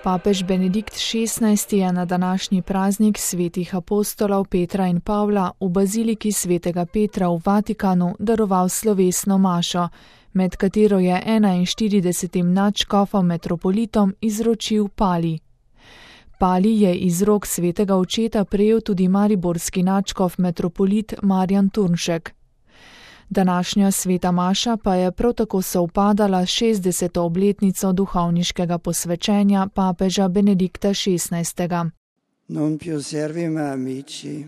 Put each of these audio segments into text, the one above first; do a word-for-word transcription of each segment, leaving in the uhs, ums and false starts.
Papež Benedikt šestnajsti je na današnji praznik svetih apostolov Petra in Pavla v baziliki svetega Petra v Vatikanu daroval slovesno mašo, med katero je enainštiridesetim nadškofom metropolitom izročil pali. Pali je iz rok svetega očeta prejel tudi mariborski nadškof metropolit Marjan Turnšek. Današnja sveta maša pa je prav tako sovpadala s šestdeseto obletnico duhovniškega posvečenja papeža Benedikta šestnajstega. Non più servime amici,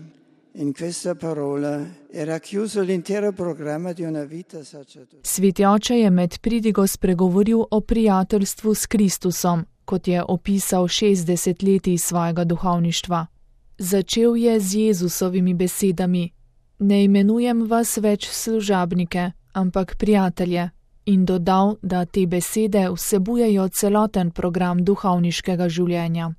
in questa parola era chiuso l'intero programma di una vita sacerdotale. Sveti oče je med pridigo spregovoril o prijateljstvu s Kristusom, kot je opisal šestdeset letij svojega duhovništva. Začel je z Jezusovimi besedami: Ne imenujem vas več služabnike, ampak prijatelje, in dodal, da te besede vsebujejo celoten program duhovniškega življenja.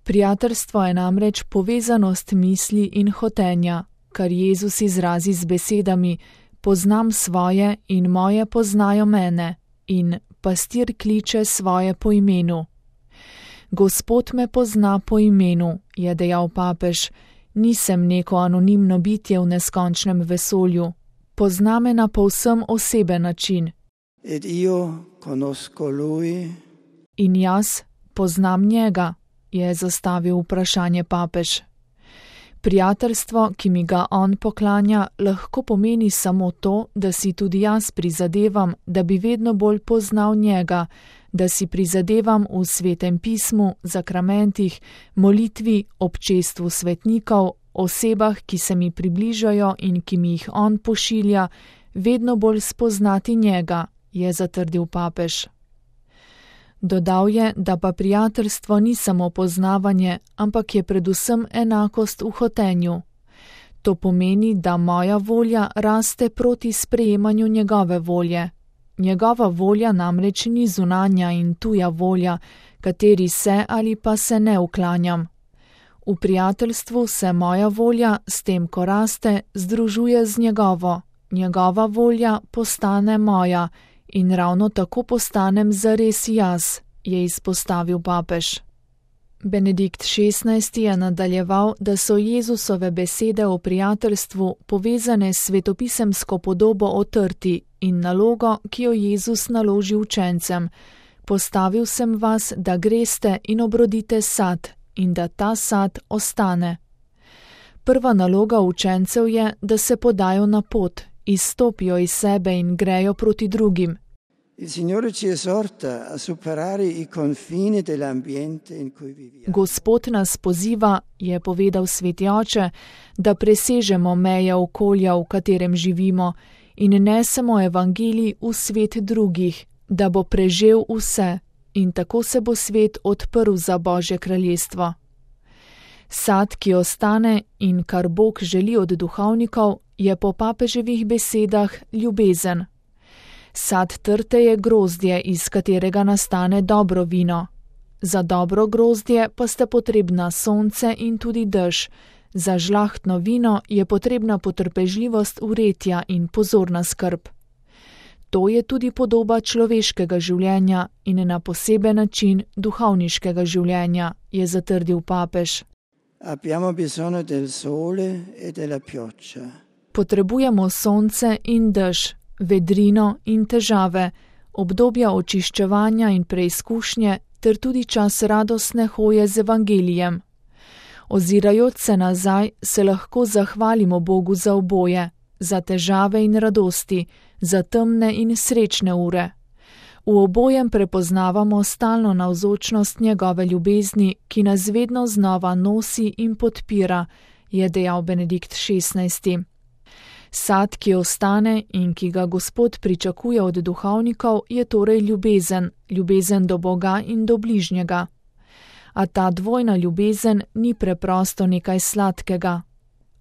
Prijateljstvo je namreč povezanost misli in hotenja, kar Jezus izrazi z besedami: Poznam svoje in moje poznajo mene, in pastir kliče svoje po imenu. Gospod me pozna po imenu, je dejal papež. Nisem neko anonimno bitje v neskončnem vesolju. Pozna me na povsem oseben način. Ed io conosco lui. In jaz poznam njega, je zastavil vprašanje papež. Prijateljstvo, ki mi ga on poklanja, lahko pomeni samo to, da si tudi jaz prizadevam, da bi vedno bolj poznal njega, da si prizadevam v svetem pismu, zakramentih, molitvi, občestvu svetnikov, osebah, ki se mi približajo in ki mi jih on pošilja, vedno bolj spoznati njega, je zatrdil papež. Dodal je, da pa prijateljstvo ni samo poznavanje, ampak je predvsem enakost v hotenju. To pomeni, da moja volja raste proti sprejemanju njegove volje. Njegova volja namreč ni zunanja in tuja volja, kateri se ali pa se ne uklanjam. V prijateljstvu se moja volja, s tem ko raste, združuje z njegovo. Njegova volja postane moja in ravno tako postanem zares jaz, je izpostavil papež. Benedikt šestnajsti je nadaljeval, da so Jezusove besede o prijateljstvu povezane s svetopisemsko podobo o trti in nalogo, ki jo Jezus naloži učencem: Postavil sem vas, da greste in obrodite sad in da ta sad ostane. Prva naloga učencev je, da se podajo na pot, izstopijo iz sebe in grejo proti drugim. Il Signore ci esorta a superare i confini dell'ambiente in cui viviamo. Gospod nas poziva, je povedal sveti oče, da presežemo meje okolja, v katerem živimo, in nesemo evangelij v svet drugih, da bo prežel vse, in tako se bo svet odprl za Božje kraljestvo. Sad, ki ostane in kar Bog želi od duhovnikov, je po papeževih besedah ljubezen. Sad trte je grozdje, iz katerega nastane dobro vino. Za dobro grozdje pa sta potrebna sonce in tudi dež. Za žlahtno vino je potrebna potrpežljivost vretja in pozorna skrb. To je tudi podoba človeškega življenja in na poseben način duhovniškega življenja, je zatrdil papež. Abbiamo bisogno del sole e della pioggia. Potrebujemo sonce in dež, vedrino in težave, obdobja očiščevanja in preizkušnje ter tudi čas radostne hoje z evangelijem. Ozirajoč se nazaj, se lahko zahvalimo Bogu za oboje, za težave in radosti, za temne in srečne ure. V obojem prepoznavamo stalno navzočnost njegove ljubezni, ki nas vedno znova nosi in podpira, je dejal Benedikt šestnajsti. Sad, ki ostane in ki ga Gospod pričakuje od duhovnikov, je torej ljubezen, ljubezen do Boga in do bližnjega. A ta dvojna ljubezen ni preprosto nekaj sladkega.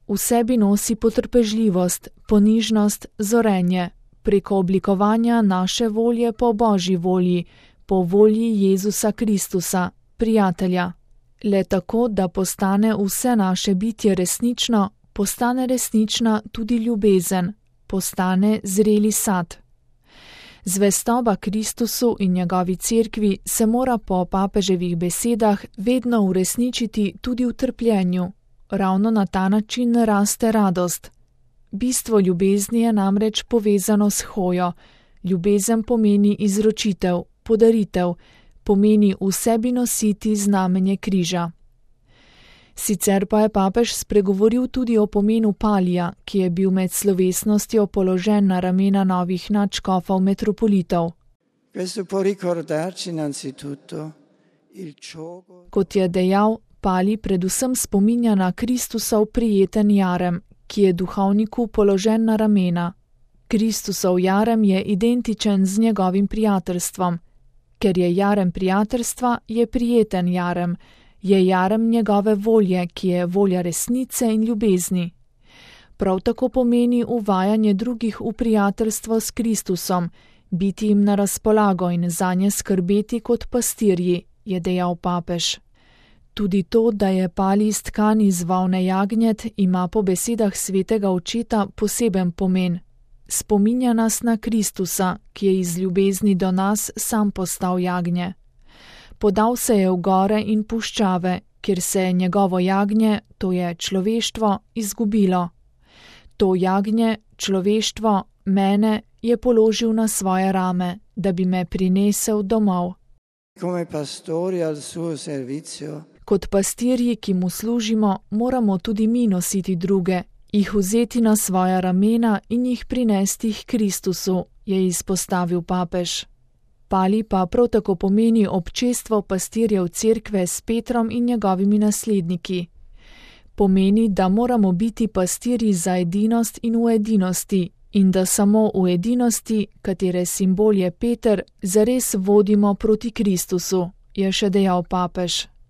V sebi nosi potrpežljivost, ponižnost, zorenje, preko oblikovanja naše volje po Božji volji, po volji Jezusa Kristusa, prijatelja. Le tako, da postane vse naše bitje resnično, postane resnična tudi ljubezen, postane zreli sad. Zvestoba Kristusu in njegovi cerkvi se mora po papeževih besedah vedno uresničiti tudi v trpljenju. Ravno na ta način raste radost. Bistvo ljubezni je namreč povezano s hojo. Ljubezen pomeni izročitev, podaritev, pomeni v sebi nositi znamenje križa. Sicer pa je papež spregovoril tudi o pomenu palija, ki je bil med slovesnostjo položen na ramena novih nadškofov metropolitov. Kot je dejal, pali predvsem spominja na Kristusov prijeten jarem, ki je duhovniku položen na ramena. Kristusov jarem je identičen z njegovim prijateljstvom. Ker je jarem prijateljstva, je prijeten jarem, je jarem njegove volje, ki je volja resnice in ljubezni. Prav tako pomeni uvajanje drugih v prijateljstvo s Kristusom, biti jim na razpolago in zanje skrbeti kot pastirji, je dejal papež. Tudi to, da je pali iz tkan iz volne jagnjet, ima po besedah svetega očeta poseben pomen. Spominja nas na Kristusa, ki je iz ljubezni do nas sam postal jagnje. Podal se je v gore in puščave, kjer se je njegovo jagnje, to je človeštvo, izgubilo. To jagnje, človeštvo, mene, je položil na svoje rame, da bi me prinesel domov. Kot pastirji, ki mu služimo, moramo tudi mi nositi druge, jih vzeti na svoja ramena in jih prinesti k Kristusu, je izpostavil papež. Pali pa prav tako pomeni občestvo pastirjev cerkve s Petrom in njegovimi nasledniki. Pomeni, da moramo biti pastirji za edinost in v edinosti in da samo v edinosti, katere simbol je Peter, zares vodimo proti Kristusu, je še dejal papež.